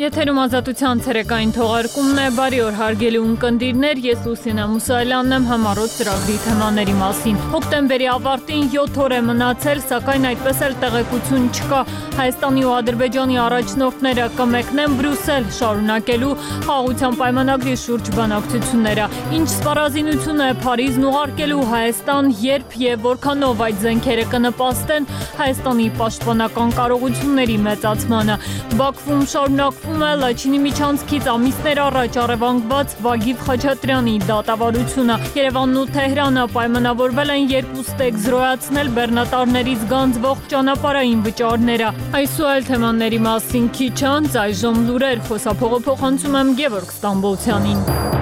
Եթերում ազատության ցերեկային թողարկումն է, բարի օր հարգելի ունկնդիրներ, ես Լուսինե Մուսայելյանն եմ համառոտ ծրագրի թեմաների մասին։ Հոկտեմբերի ավարտին 7 օր է մնացել, սակայն այդպես էլ տեղեկություն չկա։ Հայաստանի ու Ադրբեջանի առաջնորդները կմեկնեն Բրյուսել շարունակելու խաղաղության պայմանագրի շուրջ բանակցությունները։ Ինչ սպառազինություն է Փարիզն ուղարկելու Հայաստան, երբ եւ որքանով այդ զենքերը կնպաստեն Հայաստանի պաշտպանական կարողությունների մեծացմանը։ Բաքվում շարունակվում է Լաչինի միջանցքից ամիսներ առաջ առևանգված Վագիվ Խաչատրյանի դատավարությունը։ Երևանն ու Թեհրանը պայմանավորվել են երկու ստեկ զրոյացնել բեռնատարներից գանձվող ճանապարհային վճարները։ Այս ու այլ թեմաների մասին քիչ անց այժմ լուրեր, խոսափողը փոխանցում եմ Գևորգ Ստամբոլցյանին։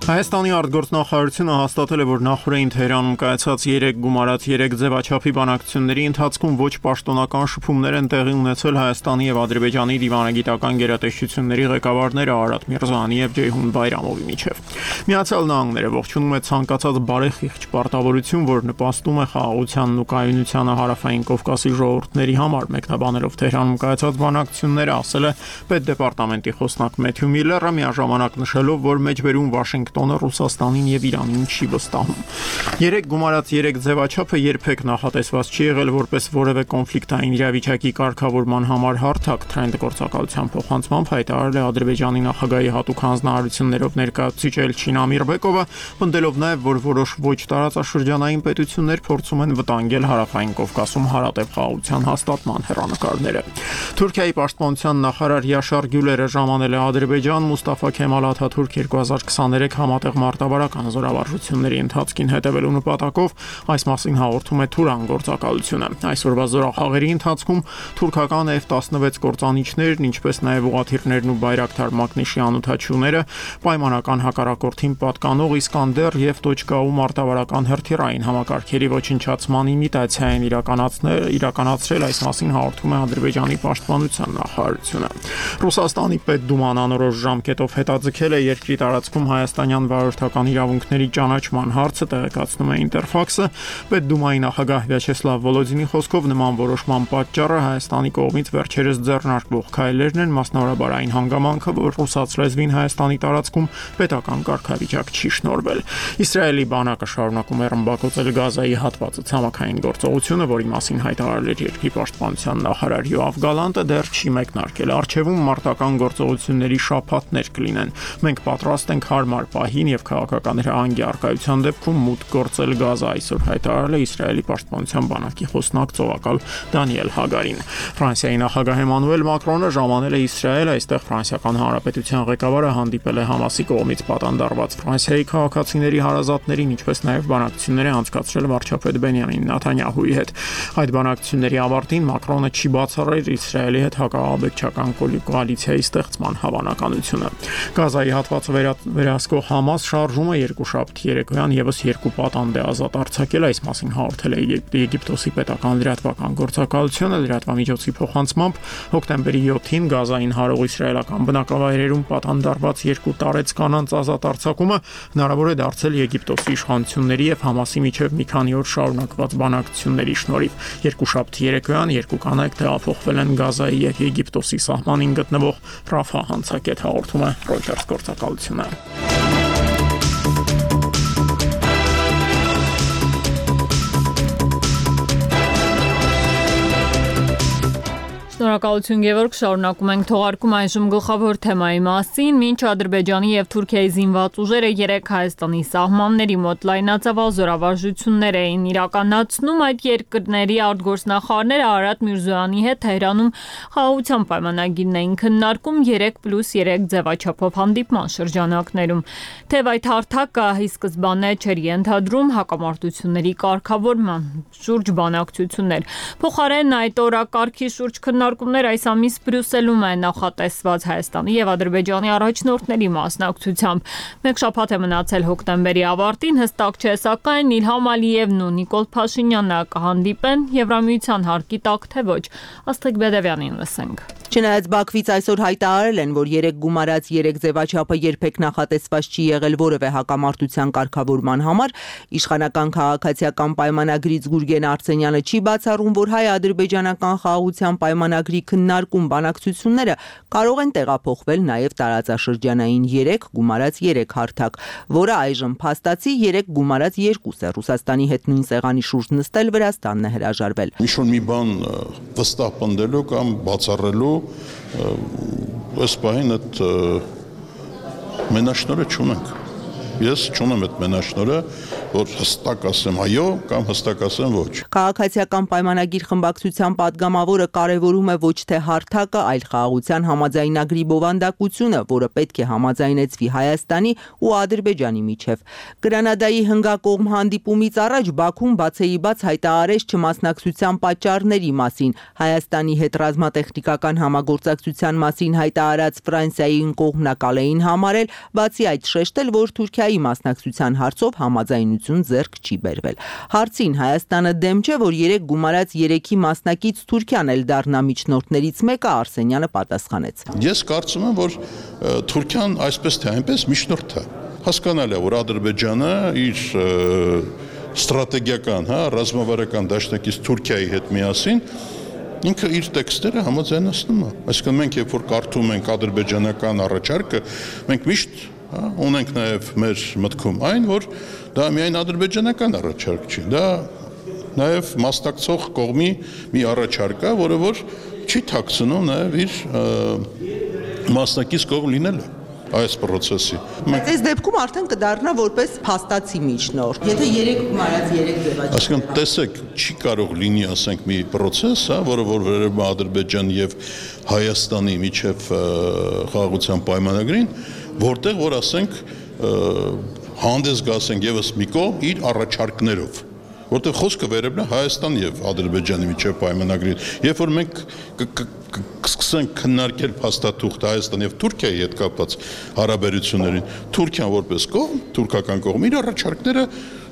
Հայաստանի արտգործնախարարությունը հաստատել է, որ նախորդին Թեհրանում կայացած 3 գումարած 3 ձևաչափի բանակցությունների ընթացքում ոչ պաշտոնական շփումներ են տեղի ունեցել Հայաստանի եւ Ադրբեջանի դիվանագիտական գերատեսչությունների ղեկավարները Արարատ Միրզոյանի եւ Ջեյհուն Բայրամովի միջև։ Միացյալ Նահանգները ողջունում է ցանկացած բարեխիղճ պարտավորություն, որ նպաստում է խաղաղությանն ու կայունությանը Հարավային Կովկասի ժողովուրդների համար, մեկնաբանելով Թեհրանում կայացած բանակցությունները, ասել է պետդեպարտամենտի խոսնակ Մեթյու Միլլերը, միաժամանակ նշելով, որ մեջբերում Վաշինգտոնը Ռուսաստանին եւ Իրանին չի վստահում։ 3 գումարած 3 ձևաչափը երբեք նախատեսված չի եղել որպես որևէ կոնֆլիկտային իրավիճակի կարգավորման համար հարթակ, Թրենդ գործակալության փոխանցմամբ հայտարարել է Ադրբեջանի նախագահի հատուկ հանձնարարություններով ներկայացուցիչ Էլչին Ամիրբեկովը, պնդելով նաեւ, որ որոշ ոչ տարածաշրջանային պետություններ փորձում են վտանգել Հարավային Կովկասում հարատև խաղաղության հաստատման հեռանկարները։ Թուրքիայի պաշտպանության նախարար Յաշար Գյուլերը ժամանել է Ադրբեջան Մուստաֆա Քեմալ Աթաթուրք 2023 համատեղ մարտավարական զորավարժությունների ընթացքին հետևելու նպատակով, այս մասին հաղորդում է Թուրան գործակալությունը։ Այսօրվա զորախաղերի ընթացքում թուրքական F-16 կործանիչներն, ինչպես նաև ուղղաթիռներն ու Բայրակթար մակնիշի անօդաչուները, պայմանական հակառակորդին պատկանող Իսկանդեր եւ .U մարտավարական հրթիռային համակարգերի ոչնչացման իմիտացիա են իրականացրել, այս մասին հաղորդում է Ադրբեջանի պաշտպանության նախարարությունը։ Ռուսաստանի պետդուման անորոշ ժամկետով հետաձգել է երկրի տարածքում հայաստանյան վարորդական իրավունքների ճանաչման հարցը, տեղեկացնում է Ինտերֆաքսը։ Պետդումայի նախագահ Վյաչեսլավ Վոլոդինի խոսքով նման որոշման պատճառը Հայաստանի կողմից վերջերս ձեռնարկվող քայլերն են, մասնավորաբար այն հանգամանքը, որ ռուսաց լեզվին Հայաստանի տարածքում պետական կարգավիճակ չի շնորհվել։ Իսրայելի բանակը շարունակում է ռմբակոծել Գազայի հատվածը ցամաքային գործողությունը, որի մասին հայտարարել էր երկրի պաշտպանության նախարար Յոավ Գալանտը, դեռ չի մեկնարկել։ Արչևում մարտական գործողությունների շաբաթներ կլինեն։ Մենք պատրաստ ենք հարմար պահին եւ քաղաքական հրահանգի առկայության դեպքում մուտք գործել Գազա, այսօր հայտարարել է Իսրայելի պաշտպանության բանակի խոսնակ ծովակալ Դանիել Հագարին։ Ֆրանսիայի նախագահ Էմանուել Մակրոնը ժամանել է Իսրայել, այստեղ Ֆրանսիական Հանրապետության ղեկավարը հանդիպել է Համասի կողմից պատանդարված Ֆրանսիայի քաղաքացիների հարազատներին, ինչպես նաև բանակցություններ է անցկացրել վարչապետ Բենյամին Նեթանյահուի հետ։ Այդ բանակցությունների ավարտին Մակրոնը չի բացառել Իսրայելի հետ հակաաբեկչական կոալիցիայի ստեղծման հավանականությունը։ Գազայի հատվածը վերահսկող Համաս շարժումը երկուշաբթի երեկոյան եւս 2 պատանդ է ազատ արձակել, այս մասին հաղորդել է Եգիպտոսի պետական լրատվական գործակալությունը, լրատվամիջոցի փոխանցմամբ հոկտեմբերի 7-ին Գազային հարող իսրայելական բնակավայրերում պատանդարված 2 տարեց կանանց ազատ արձակումը հնարավոր է դարձել Եգիպտոսի իշխանությունների եւ Համասի միջև մի քանի օր շարունակված բանակցությունների շնորհիվ։ Երկուշաբթի երեկոյան 2 կանայք տեղափոխվել են Գազայի եւ Եգիպտոսի սահմանին գտնվող Ռաֆա հանցակետ, հաղորդում է Reuters գործակալությունը։ Շնորհակալություն Գևորգ, շարունակում ենք թողարկում այժմ գլխավոր թեմայի մասին։ Մինչ Ադրբեջանի եւ Թուրքիայի զինված ուժերը 3 Հայաստանի սահմանների մոտ լայնածավալ զորավարժություններ էին իրականացնում, այդ երկրների արտգործնախարարները Արարատ Միրզոյանի հետ Թեհրանում խաղաղության պայմանագիրն էին քննարկում 3+3 ձևաչափով հանդիպման շրջանակներում։ Թեև այդ հարթակը ի սկզբանե չէր ենթադրում հակամարտությունների կարգավորման շուրջ բանակցություններ։ Փոխարենն այդ օրակարգի շուրջ քննարկումներ հանդիպումներ այս ամիս Բրյուսելում է նախատեսված Հայաստանի եւ Ադրբեջանի առաջնորդների մասնակցությամբ։ Մեկ շաբաթ է մնացել հոկտեմբերի ավարտին, հստակ չէ, սակայն Իլհամ Ալիևն ու Նիկոլ Փաշինյանը կհանդիպեն Եվրամիության հարկի տակ, թե ոչ։ Աստղիկ Բեդևյանին լսենք։ Չնայած Բաքվից այսօր հայտարարել են, որ 3 գումարած 3 ձևաչափը երբեք նախատեսված չի եղել որևէ հակամարտության կարգավորման համար, իշխանական քաղաքացիական պայմանագրից Գուրգեն Արսենյանը չի բացառում, որ հայ-ադրբեջանական խաղաղության պայմանագրի քննարկում բանակցությունները կարող են տեղափոխվել նաև տարածաշրջանային 3 գումարած 3 հարթակ, որը այժմ փաստացի 3 գումարած 2 է։ Ռուսաստանի հետ նույն սեղանի շուրջ նստել Վրաստանն է հրաժարվել։ Ինչ-որ մի բան վստահ պնդելու կամ բացառելու այս պահին այդ մենաշնորհը չունենք։ Ես չունեմ այդ մենաշնորհը, որ հստակ ասեմ այո կամ հստակ ասեմ ոչ։ Քաղաքացիական պայմանագիր խմբակցության падգամավորը կարևորում է ոչ թե հարթակը, այլ խաղաղության համաձայնագրի բովանդակությունը, որը պետք է համաձայնեցվի Հայաստանի ու Ադրբեջանի միջև։ Գրանադայի հնգակողմ հանդիպումից առաջ Բաքուն բացեիբաց հայտարարեց չմասնակցության պատճառների մասին։ Հայաստանի հետ ռազմատեխնիկական համագործակցության մասին հայտարարած Ֆրանսիայի կողմնակալ էին համարել, բացի այդ շեշտել, որ Թուրքիայի մասնակցության հարցով համաձայնություն ձեռք չի բերվել։ Հարցին Հայաստանը դեմ չէ, որ 3 գումարած 3-ի մասնակից Թուրքիան էլ դառնա միջնորդներից մեկը, Արսենյանը պատասխանեց։ Ես կարծում եմ, որ Թուրքիան այսպես թե այնպես միջնորդ է։ Հասկանալի է, որ Ադրբեջանը իր ստրատեգիական, ռազմավարական դաշնակից Թուրքիայի հետ միասին ինքը իր տեքստերը համաձայնացնում է։ Այսինքն մենք երբ որ կարդում ենք ադրբեջանական առաջարկը, մենք միշտ ունենք նաև մեր մտքում այն, որ դա միայն ադրբեջանական առաջարկ չի, դա նաև մասնակցող կողմի մի առաջարկ է, որը որ չի թաքցնում նաև իր մասնակից կողմ լինելը այս process-ի։ Այս դեպքում արդեն կդառնա որպես փաստացի միջնորդ։ Եթե 3 գումարած 3 ձևաչափ։ Այսինքն տեսեք, չի կարող լինի, ասենք, մի process, որը որ վերաբերում է Ադրբեջանի եւ Հայաստանի միջև խաղաղության պայմանագրին, որտեղ որ ասենք հանդես գասենք եւս մի կողմ իր առաջարկներով, որտեղ խոսքը վերաբերում է Հայաստանի եւ Ադրբեջանի միջև պայմանագրի։ Երբ որ մենք կսկսենք քննարկել փաստաթուղթ Հայաստանի եւ Թուրքիայի հետ կապված հարաբերություններին, Թուրքիան որպես կողմ, թուրքական կողմը իր առաջարկները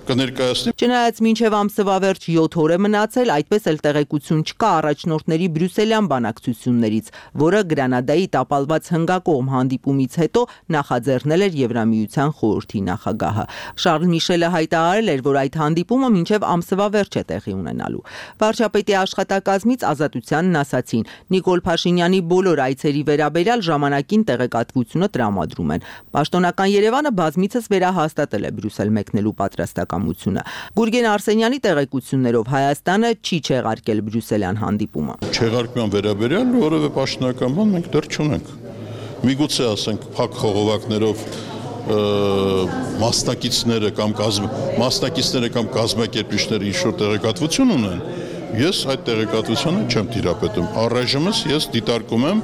կներկայացնի։ Չնայած մինչև ամսվա վերջ 7 օր է մնացել, այդպես էլ տեղեկություն չկա առաջնորդների բրյուսելյան բանակցություններից, որը Գրանադայի տապալված հնգակողմ հանդիպումից հետո նախաձեռնել էր Եվրամիության խորհրդի նախագահը։ Շարլ Միշելը հայտարարել էր, որ այդ հանդիպումը մինչև ամսվա վերջ է տեղի ունենալու։ Վարչապետի աշխատակազմից Ազատությանն ասացին, Նիկոլ Փաշինյանի բոլոր այցերի վերաբերյալ ժամանակին տեղեկատվությունը տրամադրում են։ Պաշտոնական Երևանը բազմիցս վերահաստատել է Բրյուսել մեկնելու պատրաստակամությունը։ Գուրգեն Արսենյանի տեղեկություններով Հայաստանը չի չեղարկել բրյուսելյան հանդիպումը։ Չեղարկման վերաբերյալ որևէ պաշտոնական բան մենք դեռ չունենք։ Միգուցե ասենք փակ խողովակներով մասնակիցները կամ կազմակերպիչները ինչ-որ տեղեկատվություն ունեն, ես այդ տեղեկատվությունը չեմ տիրապետում։ Առայժմս ես դիտարկում եմ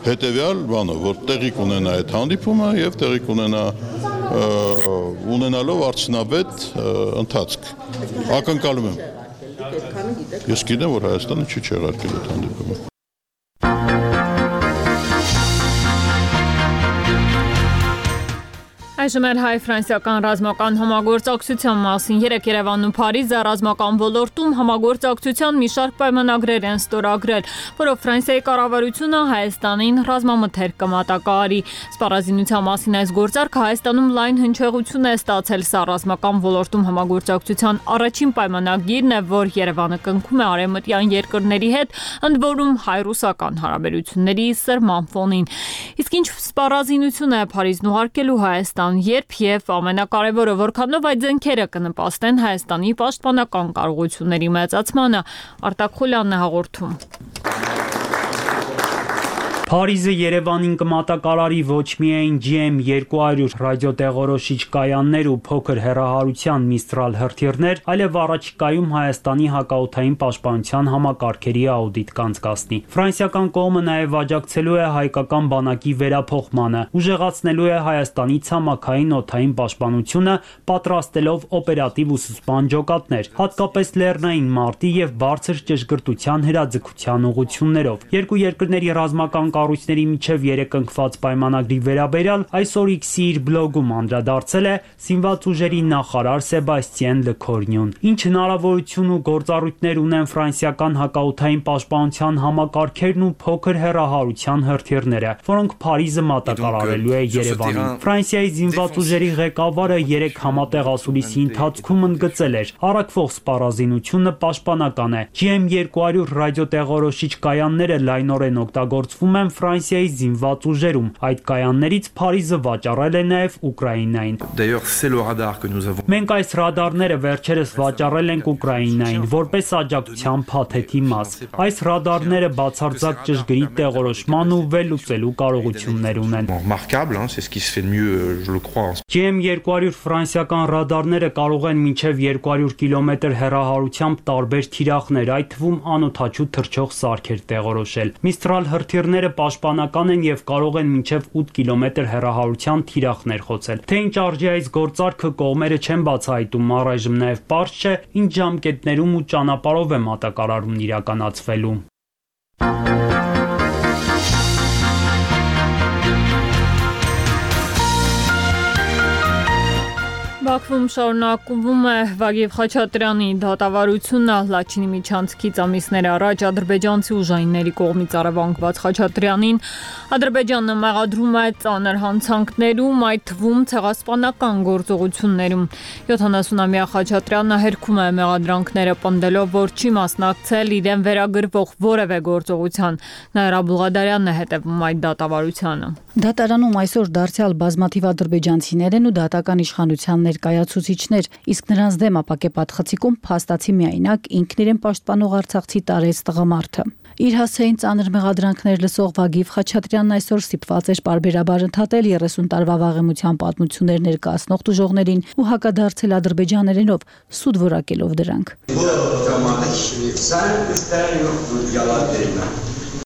հետևյալ բանը, որ տեղի կունենա այդ հանդիպումը եւ տեղի կունենա ունենալով արդյունավետ ընթացք։ Ակնկալում եմ։ Ես գիտեմ, որ Հայաստանը չի չեղարկել այդ հանդիպումը։ Այժմ էլ հայ-ֆրանսիական ռազմական համագործակցության մասին 3 Երևանն ու Փարիզը ռազմական ոլորտում համագործակցության մի շարք պայմանագրեր են ստորագրել, որով Ֆրանսիայի կառավարությունը Հայաստանին ռազմամթերք կմատակարարի։ Սպառազինության մասին այս գործարքը Հայաստանում լայն հնչեղություն է ստացել, սա ռազմական ոլորտում համագործակցության առաջին պայմանագիրն է, որ Երևանը կնքում է արևմտյան երկրների հետ, ընդ որում հայ-ռուսական հարաբերությունների սրման ֆոնին։ Իսկ ինչ սպառազինություն է Փարիզն ուղարկելու Հայաստան, երբ եւ ամենակարևորը որքանով այդ զենքերը կնպաստեն Հայաստանի պաշտպանական կարողությունների մեծացմանը, Արտակ Խուլյանն է հաղորդում։ Փարիզը Երևանին կմատակարարի ոչ միայն GM200 ռադիոտեղորոշիչ կայաններ ու փոքր հեռահարության Mistral հրթիռներ, այլև առաջիկայում Հայաստանի հակաօդային պաշտպանության համակարգերի աուդիտ կանցկացնի։ Ֆրանսիական կողմը նաև աջակցելու է հայկական բանակի վերափոխմանը, ուժեղացնելու է Հայաստանի ցամաքային օդային պաշտպանությունը, պատրաստելով օպերատիվ ուսուցման ջոկատներ, հատկապես լեռնային մարտի եւ բարձր ճշգրտության հրաձգության ուղղություններով։ Երկու երկրների ռազմական կառույցների միջև երկընկված պայմանագրի վերաբերյալ այսօր X-ի իր բլոգում անդրադարձել է Զինված ուժերի նախարար Սեբաստիեն Լքորնյուն։ Ինչ հնարավորություն ու գործառույթներ ունեն ֆրանսիական հակաօդային պաշտպանության համակարգերն ու փոքր հեռահարության հրթիռները, որոնք Փարիզը մատակարարելու է Երևանին։ Ֆրանսիայի զինված ուժերի ղեկավարը 3 համատեղ ասուլիսի ընթացքում ընդգծել էր. առաքվող սպառազինությունը պաշտպանական է։ GM200 ռադիոտեղորոշիչ կայանները լայնորեն օգտագործվում են Ֆրանսիայի զինված ուժերում։ Այդ կայաններից Փարիզը վաճառել է նաև Ուկրաինային։ Մենք այս ռադարները վերջերս վաճառել ենք Ուկրաինային որպես աջակցության փաթեթի մաս։ Այս ռադարները բացարձակ ճշգրիտ տեղորոշման ու վերլուծելու կարողություններ ունեն։ GM200 ֆրանսիական ռադարները կարող են մինչև 200 կիլոմետր հեռահարությամբ տարբեր թիրախներ, այդ թվում անօդաչու թռչող սարքեր տեղորոշել։ Mistral հրթիռները պաշտպանական են եւ կարող են մինչև 8 կիլոմետր հեռահարության թիրախներ խոցել։ Թե ինչ արժի այս գործարքը կողմերը չեն բացահայտում, առայժմ նաեւ պարզ չէ ինչ ժամկետներում ու ճանապարհով է մատակարարումն իրականացվելու։ Բաքվում շարունակվում է Վագիվ Խաչատրյանի դատավարությունը Լաչինի միջանցքից ամիսներ առաջ ադրբեջանցի ուժայինների կողմից առևանգված Խաչատրյանին Ադրբեջանը մեղադրում է ծանր հանցանքներում, այդ թվում ցեղասպանական գործողություններում։ 70-ամյա Խաչատրյանը հերքում է մեղադրանքները, պնդելով, որ չի մասնակցել իրեն վերագրվող որևէ գործողության։ Նաիրա Բուղադարյանն է հետևում այդ դատավարությանը։ Դատարանում այսօր դարձյալ բազմաթիվ ադրբեջանցիներ են ու դատական իշխանության ներկայացուցիչներ, իսկ նրանց դեմ ապակեպատ խցիկում փաստացի միայնակ ինքն իրեն պաշտպանող արցախցի տարեց տղամարդը։ Իր հասցեին ծանր մեղադրանքներ լսող Վագիվ Խաչատրյանն այսօր ստիպված էր պարբերաբար ընդհատել 30 տարվա վաղեմության պատմություններ ներկայացնող տուժողներին ու հակադարձել ադրբեջաներենով, սուտ որակելով դրանք։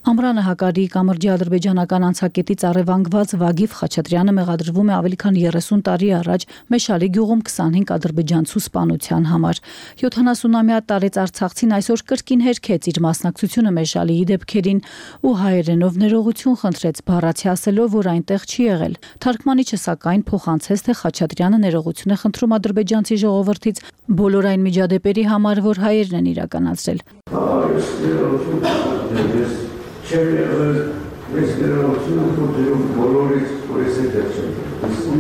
Ամրանը Հակարի կամրջի ադրբեջանական անցակետից առևանգված Վագիվ Խաչատրյանը մեղադրվում է ավելի քան 30 տարի առաջ Մեշալի գյուղում 25 ադրբեջանցու սպանության համար։ 70-ամյա տարեց արցախցին այսօր կրկին հերքեց իր մասնակցությունը Մեշալիի դեպքերին ու հայերենով ներողություն խնդրեց, բառացի ասելով, որ այնտեղ չի եղել։ Թարգմանիչը սակայն փոխանցեց, թե Խաչատրյանը ներողություն է խնդրում ադրբեջանցի ժողովրդից բոլոր այն միջադեպերի համար, որ հայերն են իրականացրել։ Չեմ եղել մեզ ներողություն խնդրում բոլորից, որ ես հետ եղել։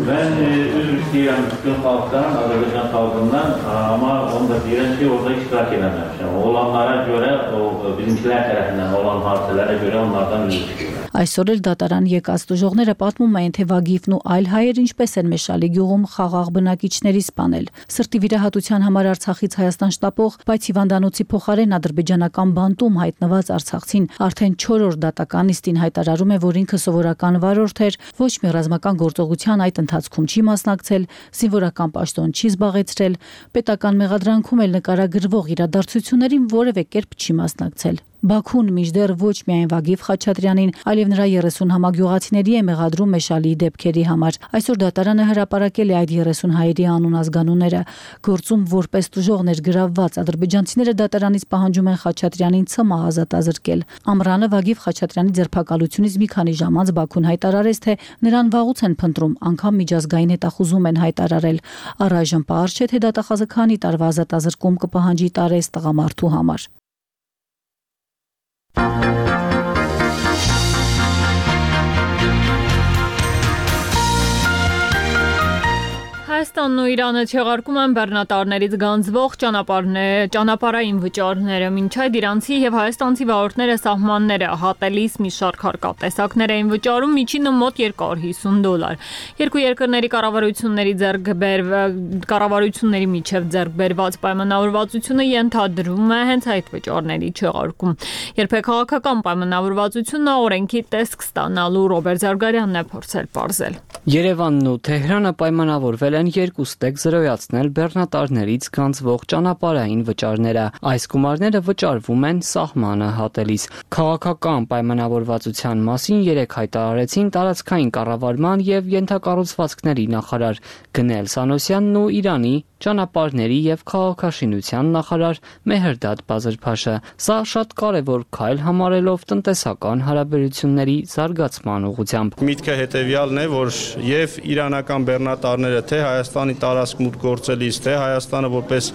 Ben Türkiye'nin bütün halktan, Azerbaycan halkından ama onda direnci orada iştirak edememişler. Olanlara göre, o bizimkiler tarafından olan hadiselere göre onlardan üzül çıkıyor. Այսօր էլ դատարան եկած տուժողները պատմում էին, թե Վագիվն ու այլ հայեր ինչպես են Մեշալի գյուղում խաղաղ բնակիչների սպանել։ Սրտի վիրահատության համար Արցախից Հայաստան շտապող, բայց հիվանդանոցի փոխարեն ադրբեջանական բանտում հայտնված արցախցին արդեն 4-րդ դատական նիստին հայտարարում է, որ ինքը սովորական վարորդ էր, ոչ մի ռազմական գործողության այդ ընթացքում չի մասնակցել, զինվորական պաշտոն չի զբաղեցրել, պետական մեղադրանքում էլ նկարագրվող իրադարձություններին որևէ կերպ չի մասնակցել։ Բաքուն մինչդեռ ոչ միայն Վագիվ Խաչատրյանին, այլև նրա 30 համագյուղացիների է մեղադրում Մեշալիի դեպքերի համար։ Այսօր դատարանը հրապարակել է այդ 30 հայերի անուն ազգանունները։ Գործում որպես տուժողներ գրավված ադրբեջանցիները դատարանից պահանջում են Խաչատրյանին ՑՄ ազատազրկել։ Ամռանը Վագիվ Խաչատրյանի ձերբակալությունից մի քանի ժամ անց Բաքուն հայտարարեց, թե նրան վաղուց են փնտրում, անգամ միջազգային հետախուզում են հայտարարել։ Առայժմ պարզ չէ, թե դատախազը քանի տարվա ազատազրկում կպահանջի տարեց տղամարդու համար։ Հայաստանն ու Իրանը չեղարկում են բեռնատարներից գանձվող ճանապարհային վճարները, մինչ այդ իրանցի եւ հայաստանցի վարորդները սահմանները հատելիս մի շարք հարկատեսակներ էին վճարում միջինը մոտ $250։ Երկու երկրների կառավարությունների միջև ձեռք բերված պայմանավորվածությունը ենթադրում է հենց այդ վճարների չեղարկում։ Երբեք քաղաքական պայմանավորվածությունը օրենքի տեսք ստանալու Ռոբերտ Զարգարյանն է փորձել պարզել։ Երևանն ու Թեհրանը պայմանավորվել են երկուստեք զրոյացնել բեռնատարներից գանձվող ճանապարհային վճարները։ Այս գումարները վճարվում են սահմանը հատելիս։ Քաղաքական պայմանավորվածության մասին երեկ հայտարարեցին տարածքային կառավարման եւ ենթակառուցվածքների նախարար Գնել Սանոսյանն ու Իրանի ճանապարհների եւ քաղաքաշինության նախարար Մեհրդադ Բազրփաշը։ Սա շատ կարևոր քայլ համարելով տնտեսական հարաբերությունների զարգացման ուղղությամբ։ Միտքը հետեւյալն է, որ եւ իրանական բեռնատարները թե Հայաստանի տարածք մուտք գործելիս, թե Հայաստանը որպես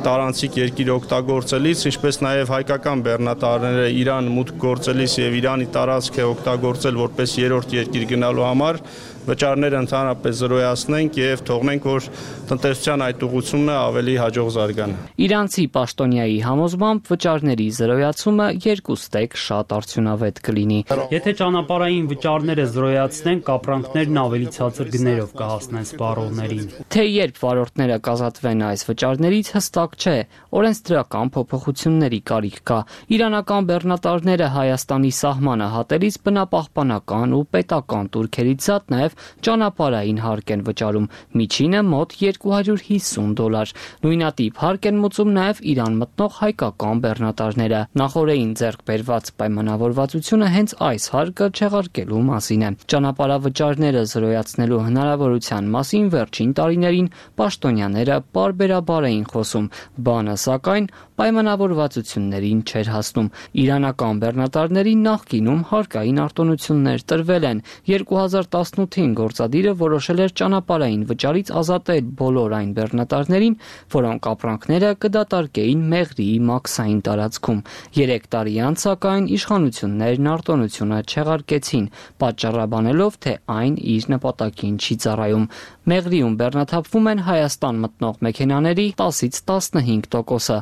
տարանցիկ երկիր օգտագործելիս, ինչպես նաեւ հայկական բեռնատարները Իրան մուտք գործելիս եւ Իրանի տարածք է օգտագործել որպես երրորդ երկիր գնալու համար վճարները ընդհանրապես զրոյացնենք եւ թողնենք, որ տնտեսության այդ ուղղությունը ավելի հաջող զարգանա։ Իրանցի պաշտոնյայի համոզմամբ վճարների զրոյացումը երկուստեք շատ արդյունավետ կլինի։ Եթե ճանապարհային վճարները զրոյացնենք, ապրանքներն ավելի ցածր գներով կհասնեն սպառողներին։ Թե երբ վարորդները կազատվեն այս վճարներից հստակ չէ, օրենսդրական փոփոխությունների կարիք կա։ Իրանական բեռնատարները Հայաստանի սահմանը հատելիս բնապահպանական ու պետական տուրքերից զատ նաեւ ճանապարհային հարկ են վճարում, միջինը մոտ $250։ Նույնատիպ հարկ են մուծում նաև Իրան մտնող հայկական բեռնատարները։ Նախորդին ձեռք բերված պայմանավորվածությունը հենց այս հարկը չեղարկելու մասին է։ Ճանապարհավճարները զրոյացնելու հնարավորության մասին վերջին տարիներին պաշտոնյաները պարբերաբար էին խոսում, բանը սակայն պայմանավորվածություններին չէր հասնում։ Իրանական բեռնատարների նախկինում հարկային արտոնություններ տրվել են։ 2018-ին գործադիրը որոշել էր ճանապարհային վճարից ազատել բոլոր այն բեռնատարներին, որոնք ապրանքները կդատարկեին Մեղրիի մաքսային տարածքում։ 3 տարի անց սակայն իշխանություններն արտոնությունը չեղարկեցին, պատճառաբանելով, թե այն իր նպատակին չի ծառայում։ Մեղրիում բեռնաթափվում են Հայաստան մտնող մեքենաների 10-ից 15%-ը,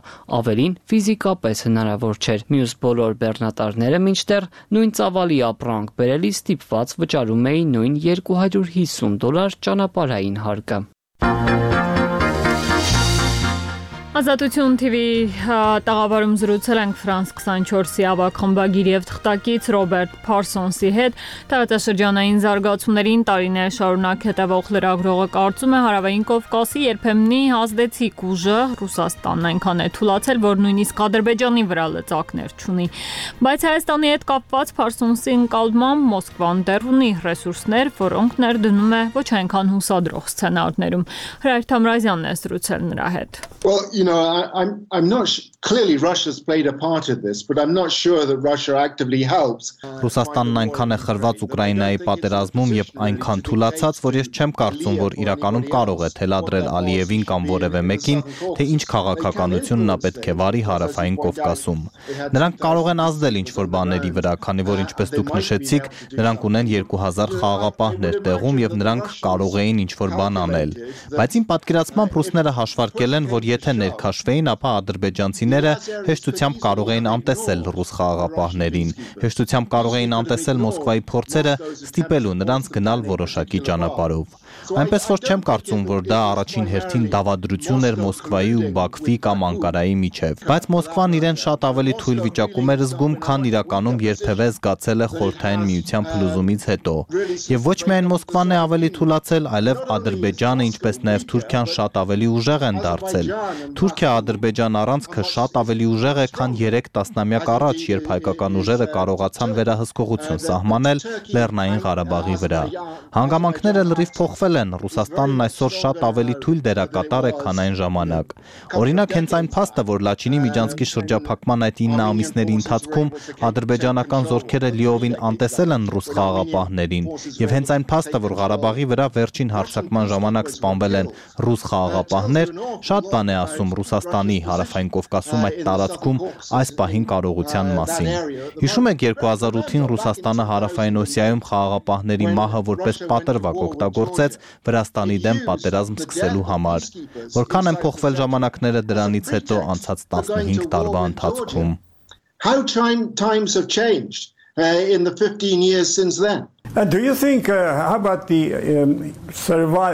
ավելին ֆիզիկապես հնարավոր չէր։ Մյուս բոլոր բեռնատարները մինչդեռ նույն ծավալի ապրանք բերելիս ստիպված վճարում էին նույն $250 ճանապարհային հարկը։ Ազատություն TV-ի տաղավարում զրուցել ենք Ֆրանս 24-ի ավագ խմբագիր եւ թղթակից Ռոբերտ Փարսոնսի հետ։ Տարածաշրջանային զարգացումներին տարիներ շարունակ հետևող լրագրողը կարծում է Հարավային Կովկասի երբեմնի ազդեցիկ ուժը Ռուսաստանն այնքան է թուլացել, որ նույնիսկ Ադրբեջանի վրա լծակներ չունի։ Բայց Հայաստանի հետ կապված Փարսոնսի ընկալմամբ Մոսկվան դեռ ունի ռեսուրսներ, որոնք ներդնում է ոչ այնքան հուսադրող սցենարներում։ Հրայր Թամրազյանն է զրուցել նրա հետ։ I'm not clearly Russia's played a part of this, but I'm not sure that Russia actively helps. Ռուսաստանն այնքան է խրված Ուկրաինայի պատերազմում եւ այնքան թուլացած, որ ես չեմ կարծում, որ իրականում կարող է թելադրել Ալիևին կամ որևէ մեկին, թե ինչ քաղաքականություն նա պետք է վարի Հարավային Կովկասում։ Նրանք կարող են ազդել ինչ-որ բաների վրա, քանի որ ինչպես դուք նշեցիք, նրանք ունեն 2000 խաղաղապահներ տեղում եւ նրանք կարող էին ինչ-որ բան անել։ Բայց իմ պատկերացմամբ ռուսները հաշվարկել են, որ եթե ներքաշվեին, ապա ադրբեջանցիները հեշտությամբ կարող էին անտեսել ռուս խաղաղապահներին, հեշտությամբ կարող էին անտեսել Մոսկվայի փորձերը ստիպելու նրանց գնալ որոշակի ճանապարհով։ Այնպես որ չեմ կարծում, որ դա առաջին հերթին դավադրություն էր Մոսկվայի ու Բաքվի կամ Անկարայի միջև, բայց Մոսկվան իրեն շատ ավելի թույլ վիճակում էր զգում, քան իրականում երբևէ զգացել է Խորհրդային Միության փլուզումից հետո։ Եվ ոչ միայն Մոսկվան է ավելի թուլացել, այլև Ադրբեջանը, ինչպես նաև Թուրքիան շատ ավելի ուժեղ են դարձել։ Թուրքիա-Ադրբեջան առանցքը շատ ավելի ուժեղ է, քան 3 տասնամյակ առաջ, երբ հայկական ուժերը կարողացան վերահսկողություն սահմանել Լեռնային Ղարաբաղի վրա։ Հանգամանքները լրիվ փոխվել են, Ռուսաստանն այսօր շատ ավելի թույլ դերակատար է, քան այն ժամանակ։ Օրինակ, հենց այն փաստը, որ Լաչինի միջանցքի շրջափակման այդ 9 ամիսների ընթացքում ադրբեջանական զորքերը լիովին անտեսել են ռուս խաղաղապահներին, եւ հենց այն փաստը, որ Ղարաբաղի վրա վերջին հարձակման ժամանակ սպանվել են ռուս խաղաղապահներ, շատ բան է ասում Ռուսաստանի Հարավային Կովկասում այդ տարածքում այս պահին կարողության մասին։ Հիշում եք 2008-ին Ռուսաստանը Հարավային Օսիայում խաղաղապահների մահը որպես պատրվակ օգտագործեց Վրաստանի դեմ պատերազմ սկսելու համար։ Որքան են փոխվել ժամանակները դրանից հետո անցած 15 տարվա ընթացքում։ How times have changed in the 15 years since then. Do you think, how about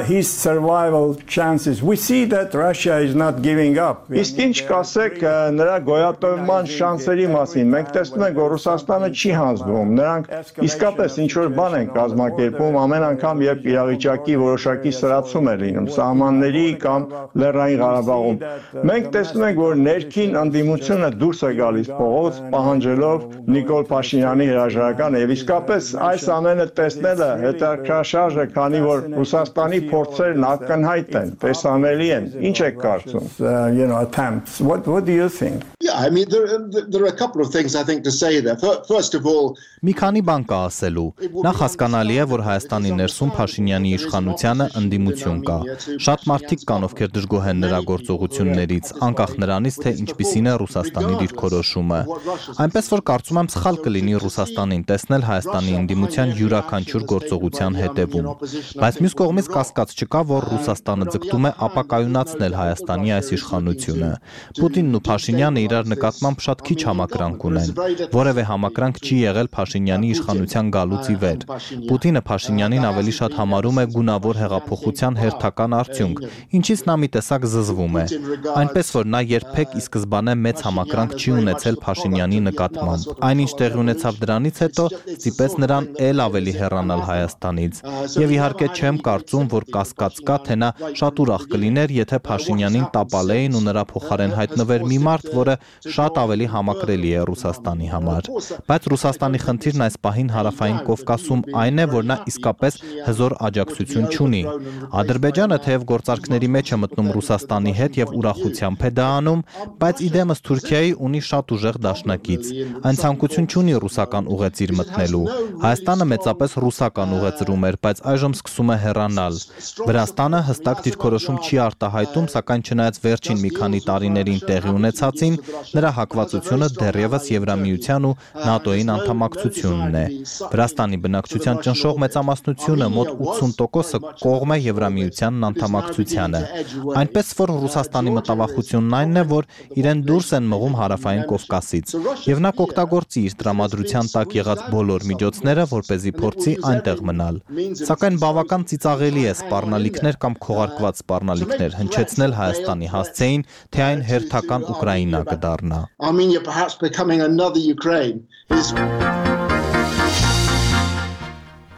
his survival chances? We see that Russia is not giving up. Իսկ ինչ կասեք նրա գոյատևման շանսերի մասին։ Մենք տեսնում ենք, որ Ռուսաստանը չի հանձնվում։ Նրանք իսկապես ինչ որ բան են կազմակերպում ամեն անգամ, երբ իրավիճակի որոշակի սրացում է լինում, սահմանների կամ Լեռնային Ղարաբաղում։ Մենք տեսնում ենք, որ ներքին ընդդիմությունը դուրս է գալիս փողոց, պահանջելով Նիկոլ Փաշինյանի հրաժարականը, եւ իսկապես այս ամենը տեսնելը հետաքրքրաշարժ է, քանի որ Ռուսաստանի փորձերն ակնհայտ են, տեսանելի են։ Ինչ եք կարծում? Attempts. What do you think? Yeah, I mean there are a couple of things I think to say there. First of all, մի քանի բան կա ասելու։ Նախ հասկանալի է, որ Հայաստանի ներսում Փաշինյանի իշխանությանը ընդդիմություն կա։ Շատ մարդիկ կան, ովքեր դժգոհ են նրա գործողություններից, անկախ նրանից, թե ինչպիսին է Ռուսաստանի դիրքորոշումը։ Այնպես որ կարծում եմ սխալ կլինի Ռուսաստանին տեսնել Հայաստանի ընդդիմության յուրաքանչյուր գործողության հետևում։ Բայց մյուս կողմից կասկած չկա, որ Ռուսաստանը ձգտում է ապակայունացնել Հայաստանի այս իշխանությունը։ Պուտինն ու Փաշինյանը իրար նկատմամբ շատ քիչ համակրանք ունեն։ Որևէ համակրանք չի եղել Փաշինյանի իշխանության գալուց ի վեր։ Պուտինը Փաշինյանին ավելի շատ համարում է գունավոր հեղափոխության հերթական արդյունք, ինչից նա մի տեսակ զզվում է։ Այնպես որ նա երբեք ի սկզբանե մեծ համակրանք չի ունեցել Փաշինյանի նկատմամբ։ Այնինչ տեղի ունեցավ դրանից հետո ստիպեց նրան ել ավելի հեռանալ Հայաստանից։ Եվ իհարկե չեմ կարծում, որ կասկած կա, թե նա շատ ուրախ կլիներ, եթե Փաշինյանին տապալեին ու նրա փոխարեն հայտնվեր մի մարդ, որը շատ ավելի համակրելի է Ռուսաստանի համար։ Բայց Ռուսաստանի խնդիրն այս պահին Հարավային Կովկասում այն է, որ նա իսկապես հզոր աջակցություն չունի։ Ադրբեջանը թեև գործարքների մեջ է մտնում Ռուսաստանի հետ եւ ուրախությամբ է դա անում, բայց իդեմս Թուրքիայի ունի շատ ուժեղ դաշնակից։ Այն ցանկություն չունի ռուսական ուղեծիր մտնելու։ Հայաստանը մեծապես ռուսական ուղեծրում էր, բայց այժմ սկսում է հեռանալ։ Վրաստանը հստակ դիրքորոշում չի արտահայտում, սակայն չնայած վերջին մի քանի տարիներին տեղի ունեցածին, նրա հակվածությունը դեռևս Եվրամիության ու ՆԱՏՕ-ին անդամակցությունն է։ Վրաստանի բնակչության ճնշող մեծամասնությունը մոտ 80%-ը կողմ է Եվրամիությանն անդամակցությանը։ Այնպես որ Ռուսաստանի մտավախությունն այնն է, որ իրեն դուրս են մղում Հարավային Կովկասից, եւ նա կօգտագործի իր տրամադրության տակ եղած բոլոր միջոցները, որպեսզի փորձի այնտեղ մնալ։ Սակայն բավական ծիծաղելի է սպառնալիքներ կամ քողարկված սպառնալիքներ հնչեցնել Հայաստանի հասցեին, թե այն հերթական Ուկրաինա կդառնա։ Armenia perhaps becoming another Ukraine is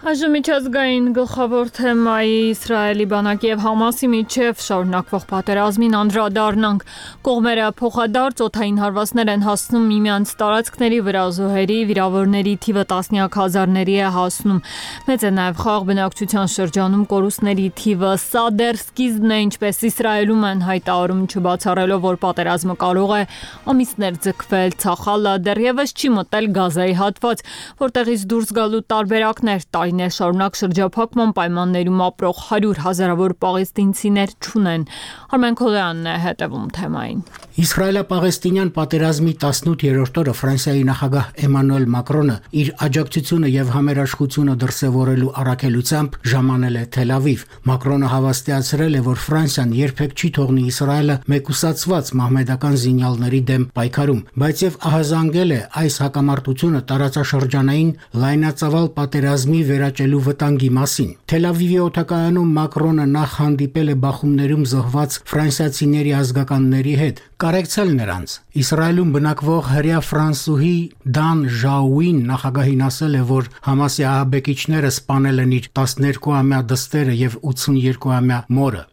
Այժմ միջազգային գլխավոր թեմայի Իսրայելի բանակի եւ Համասի միջև շարունակվող պատերազմին անդրադառնանք։ Կողմերը փոխադարձ օդային հարվածներ են հասնում միմյանց տարածքների վրա, զոհերի, վիրավորների թիվը տասնյակ հազարների է հասնում։ Մեծ է նաեւ խաղաղ բնակչության շրջանում կորուստների թիվը։ Սա դեռ սկիզբն է, ինչպես Իսրայելում են հայտարարում, չբացառելով, որ պատերազմը կարող է ամիսներ ձգվել։ Ցախալը դեռևս չի մտել Գազայի հատված, որտեղից դուրս գալու տարբերակներ շարունակ շրջափակման պայմաններում ապրող 100 հազարավոր պաղեստինցիներ չունեն։ Արմեն Քոլյանն է հետևում թեմային։ Իսրայելա-պաղեստինյան պատերազմի 18-րդ օրը Ֆրանսիայի նախագահ Էմանուել Մակրոնը իր աջակցությունը եւ համերաշխությունը դրսեւորելու առաքելությամբ ժամանել է Թել Ավիվ։ Մակրոնը հավաստիացրել է, որ Ֆրանսիան երբեք չի թողնի Իսրայելը մեկուսացված մահմեդական զինյալների դեմ պայքարում, բայց եւ ահազանգել է այս հակամարտությունը տարածաշրջանային լայնածավալ պատերազմի վերաճելու վտանգի մասին։ Թել Ավիվի օդակայանում Մակրոնը նախ հանդիպել է բախումներում զոհված ֆրանսիացիների ազգականների հետ, կարեկցել նրանց։ Իսրայելում բնակվող հրեա ֆրանսուհի Դան Ժաուին նախագահին ասել է, որ Համասի ահաբեկիչները սպանել են իր 12-ամյա դստերը եւ 82-ամյա մորը։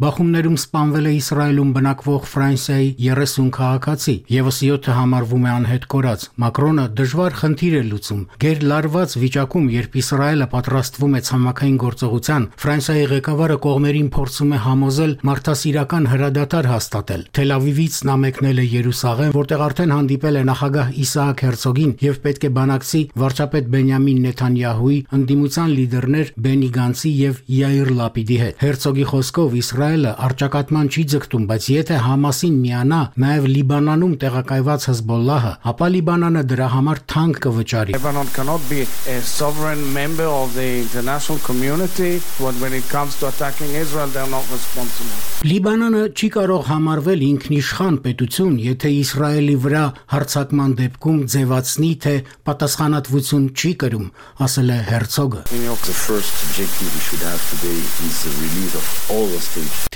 Բախումներում սպանվել է Իսրայելում բնակվող Ֆրանսիայի 30 քաղաքացի, եւս 7-ը համարվում է անհետ կորած։ Մակրոնը դժվար խնդիր է լուծում։ Գերլարված վիճակում, երբ Իսրայելը պատրաստվում է ցամաքային գործողության, Ֆրանսիայի ղեկավարը կողմերին փորձում է համոզել մարդասիրական հրադադար հաստատել։ Թել Ավիվից նա մեկնել է Երուսաղեմ, որտեղ արդեն հանդիպել է նախագահ Իսահակ Հերցոգին եւ պետք է բանակցի վարչապետ Բենյամին Բենյամին Նեթանյահուի, ընդդիմության լիդերներ Բենի Գանցի եւ Յայիր Լապիդի հետ։ Հերցոգի խոսքով Իսրայելը առճակատման չի ձգտում, բայց եթե Համասին միանա նաեւ Լիբանանում տեղակայված Հեզբոլլահը, ապա Լիբանանը դրա համար թանկ կվճարի։ Lebanon cannot be a sovereign member of the international community when it comes to attacking Israel they are not responsible. Լիբանանը չի կարող համարվել ինքնիշխան պետություն, եթե Իսրայելի վրա հարձակման դեպքում ձևացնի, թե պատասխանատվություն չի կրում, ասել է Հերցոգը։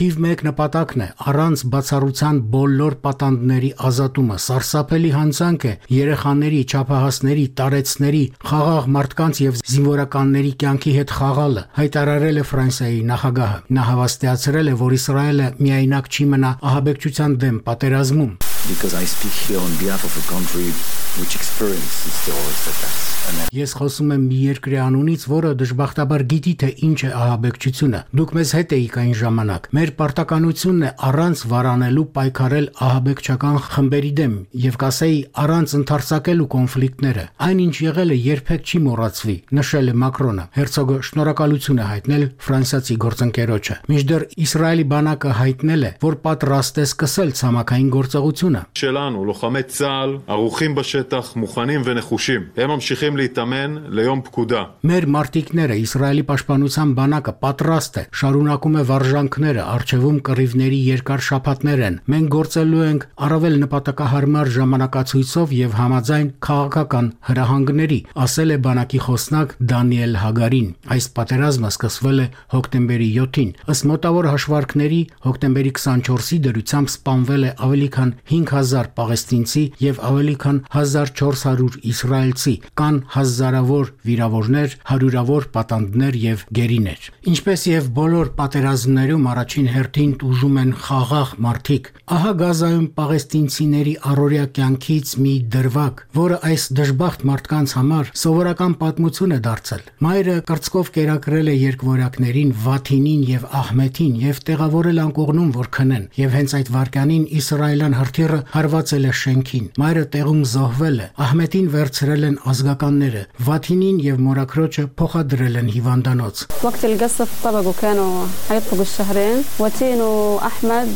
Թիվ 1 նպատակն է առանց բացառության բոլոր պատանդների ազատումը, սարսափելի հանցանք է երեխաների, չափահասների, տարեցների, խաղաղ մարդկանց եւ զինվորականների կյանքի հետ խաղալը, հայտարարել է Ֆրանսիայի նախագահը։ Նա հավաստիացրել է, որ Իսրայելը միայնակ չի մնա ահաբեկչության դեմ պատերազմում։ Because I speak here on behalf of a country which experiences terrorist attacks. Ես խոսում եմ մի երկրի անունից, որը դժբախտաբար գիտի, թե ինչ է ահաբեկչությունը։ Դուք մեզ հետ էիք այն ժամանակ։ Մեր պարտականությունն է առանց վարանելու պայքարել ահաբեկչական խմբերի դեմ եւ կասեի առանց ընդարձակելու կոնֆլիկտները։ Այնինչ եղել է երբեք չի մոռացվի, նշել է Մակրոնը։ Հերցոգը շնորհակալություն է հայտնել ֆրանսիացի գործընկերոջը։ Մինչդեռ Իսրայելի բանակը հայտնել է, որ պատրաստ է սկսել ցամաքային գործողությունը։ שלנו, לוחמי צה"ל, ערוכים בשטח, מוכנים ונחושים. הם ממשיכים להתאמן ליום פקודה. Մեր մարտիկները Իսրայելի պաշտպանության բանակը պատրաստ է, շարունակում է վարժանքները, արժևում կռիվների երկար շաբաթներ են։ Մենք գործելու ենք առավել նպատակահարմար ժամանակացույցով եւ համաձայն քաղաքական հրահանգների, ասել է բանակի խոսնակ Դանիել Հագարին։ Այս պատերազմը սկսվել է հոկտեմբերի 7-ին։ Ըստ մոտավոր հաշվարկների, հոկտեմբերի 24-ի դրությամբ սպանվել է ավելի քան 5000 պաղեստինցի եւ ավելի քան 1400 իսրայելցի, կան հազարավոր վիրավորներ, հարյուրավոր պատանդներ եւ գերիներ։ Ինչպես եւ բոլոր պատերազմներում առաջին հերթին տուժում են խաղաղ մարդիկ։ Ահա Գազայում պաղեստինցիների առօրյա կյանքից մի դրվագ, որը այս դժբախտ մարդկանց համար սովորական պատմություն է դարձել։ Մայրը կրծքով կերակրել է երկվորյակներին Վաթինին եւ Ահմեդին եւ տեղավորել անկողնում, որ քնեն, եւ հենց այդ վարկանին իսրայելյան հրթիռը հարվածել է շենքին։ Մայրը տեղում զոհվել է։ Ահմեդին վերցրել են ազգականները, Վաթինին եւ մորաքրոջը փոխադրել են հիվանդանոց։ وقت القصف طبقوا كانوا حيطلقوا الشهرين وتين واحمد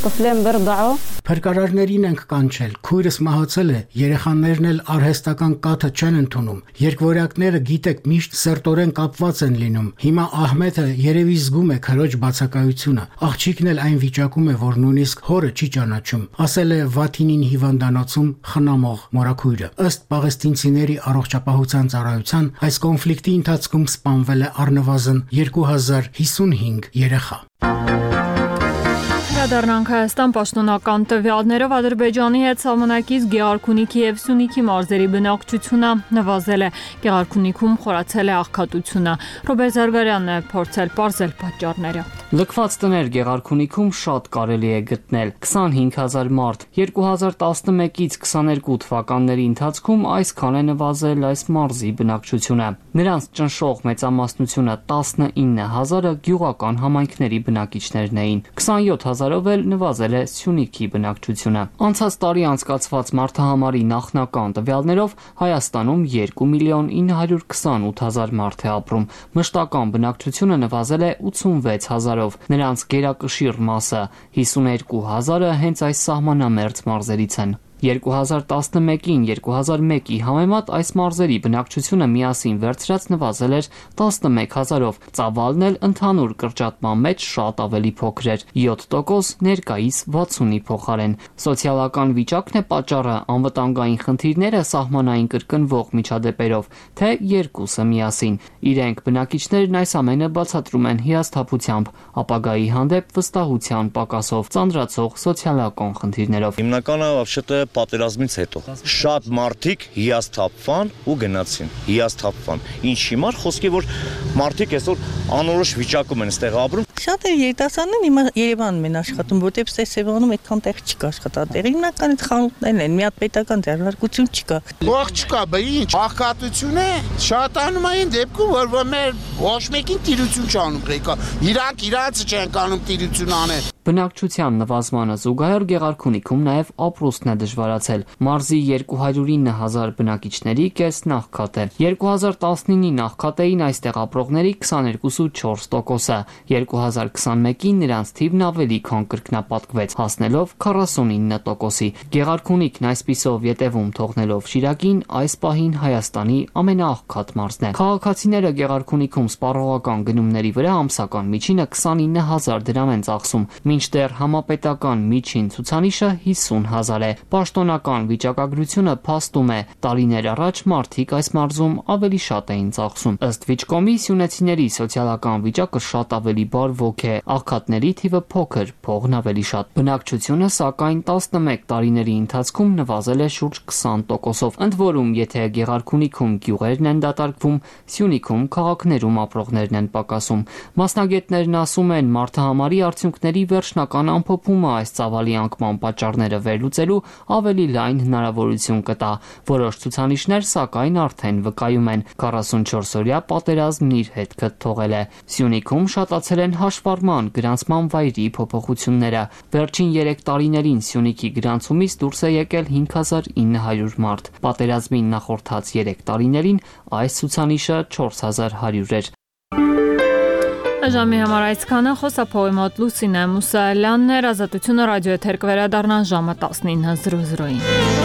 طفلين بيرضعوا Փրկարարներին ենք կանչել։ Քույրս մահացել է, երեխաներն էլ արհեստական կաթը չեն ընդունում։ Երկվորյակները գիտեք միշտ սերտորեն կապված են լինում։ Հիմա Ահմեդը երևի զգում է քրոջ բացակայությունը։ Աղջիկն էլ այն վիճակում է, որ նույնիսկ հորը չի ճանաչում, ասել է Վաթինին հիվանդանոցում խնամող մորաքույրը։ Ըստ պաղեստինցիների առողջապահության ծառայության, այս կոնֆլիկտի ընթացքում սպանվել է առնվազն 2055 երեխա։ Դառնանք Հայաստան պաշտոնական տվյալներով Ադրբեջանի հետ սահմանակից Գեղարքունիքի եւ Սյունիքի մարզերի բնակչությունը նվազել է։ Գեղարքունիքում խորացել է աղքատությունը։ Ռոբերտ Զարգարյանն է փորձել պարզել պատճառները։ Լքված տներ Գեղարքունիքում շատ կարելի է գտնել 25000 մարդ 2011-ից 22 թվականների ընթացքում այսքան է նվազել այս մարզի բնակչությունը։ Նրանց ճնշող մեծամասնությունը 19000-ը գյուղական համայնքների բնակիչներն էին։ 27000-ով էլ նվազել է Սյունիքի բնակչությունը։ Անցած տարի անցկացված մարդահամարի նախնական տվյալներով Հայաստանում 2.928.000 մարդ է ապրում։ Մշտական բնակչությունը նվազել է 86000-ով։ Նրանց գերակշիռ մասը 52000-ը հենց այս սահմանամերձ մարզերից են։ 2011-ին 2001-ի համեմատ այս մարզերի բնակչությունը միասին վերցրած նվազել էր 11000-ով, ծավալն էլ ընդհանուր կրճատման մեջ շատ ավելի փոքր էր՝ 7% ներկայիս 60-ի փոխարեն։ Սոցիալական վիճակն է պատճառը, անվտանգային խնդիրները, սահմանային կրկնվող միջադեպերով, թե երկուսը միասին։ Իրենք բնակիչներն այս ամենը բացատրում են հիասթափությամբ, ապագայի հանդեպ վստահության պակասով, ծանրացող սոցիալական խնդիրներով։ Հիմնականը вообще-то պատերազմից հետո շատ մարդիկ հիասթափվան ու գնացին, հիասթափվան։ Ինչ հիմար խոսքի որ մարդիկ այսօր անորոշ վիճակում են այստեղ ապրում։ Շատ է երիտասարդներ հիմա Երևանում են աշխատում, որտեղ Սևանում այդքան տեղ չկա աշխատատեղ։ Հիմնական այդ խանութներն են, մի հատ պետական ձեռնարկություն չկա։ Ող չկա, բա ինչ, աղքատություն է։ Շատանում այն դեպքում, որ մեր ոչ մեկին տիրություն չանում ղեկա։ Իրանք իրաց չեն կանում տիրություն անել։ Բնակչության նվազմանը զուգահեռ Գեղարքունիքում նաև ապրուստն է դժվարացել։ Մարզի 209,000 բնակիչների կեսն աղքատ է։ 2019-ի նախքատեին այստեղ ապրողների 22.4%-ը, 2021-ին նրանց թիվն ավելի քան կրկնապատկվեց, հասնելով 49%-ի։ Գեղարքունիքն այսպիսով ետևում թողնելով Շիրակին այս պահին Հայաստանի ամենաաղքատ մարզն է։ Քաղաքացիները Գեղարքունիքում սպառողական գնումների վրա ամսական միջինը 29,000 դրամ են ծախսում, մինչդեռ համապետական միջին ցուցանիշը 50,000 է։ Պաշտոնական վիճակագրությունը փաստում է, տարիներ առաջ մարդիկ այս մարզում ավելի շատ էին ծախսում։ Ըստ Վիճկոմի սյունեցիների սոցիալական վիճակը շատ ավելի բարվոք է, աղքատների թիվը փոքր, փողն ավելի շատ։ Բնակչությունը սակայն 11 տարիների ընթացքում նվազել է շուրջ 20%-ով։ Ընդ որում, եթե Գեղարքունիքում գյուղերն են դատարկվում, Սյունիքում քաղաքներում ապրողներն են պակասում։ Մասնագետներն ասում են, մարդահամարի արդյունքների վերջնական ամփոփումը այս ծավալի անկման պատճառները վերլուծելու ավելի լայն հնարավորություն կտա։ Որոշ ցուցանիշներ սակայն արդեն վկայում են 44-օրյա պատերազմն իր հետքը թողել է։ Սյունիքում շատացել են հաշվառման գրանցման վայրի փոփոխությունները։ Վերջին 3 տարիներին Սյունիքի գրանցումից դուրս է եկել 5900 մարդ։ Պատերազմին նախորդած 3 տարիներին այս ցուցանիշը 4100 էր։ Ժամի համար այսքանը, խոսափողի մոտ Լուսինե Մուսալյանն էր, Ազատությունը ռադիո եթեր կվերադառնա ժամը 19:00-ին։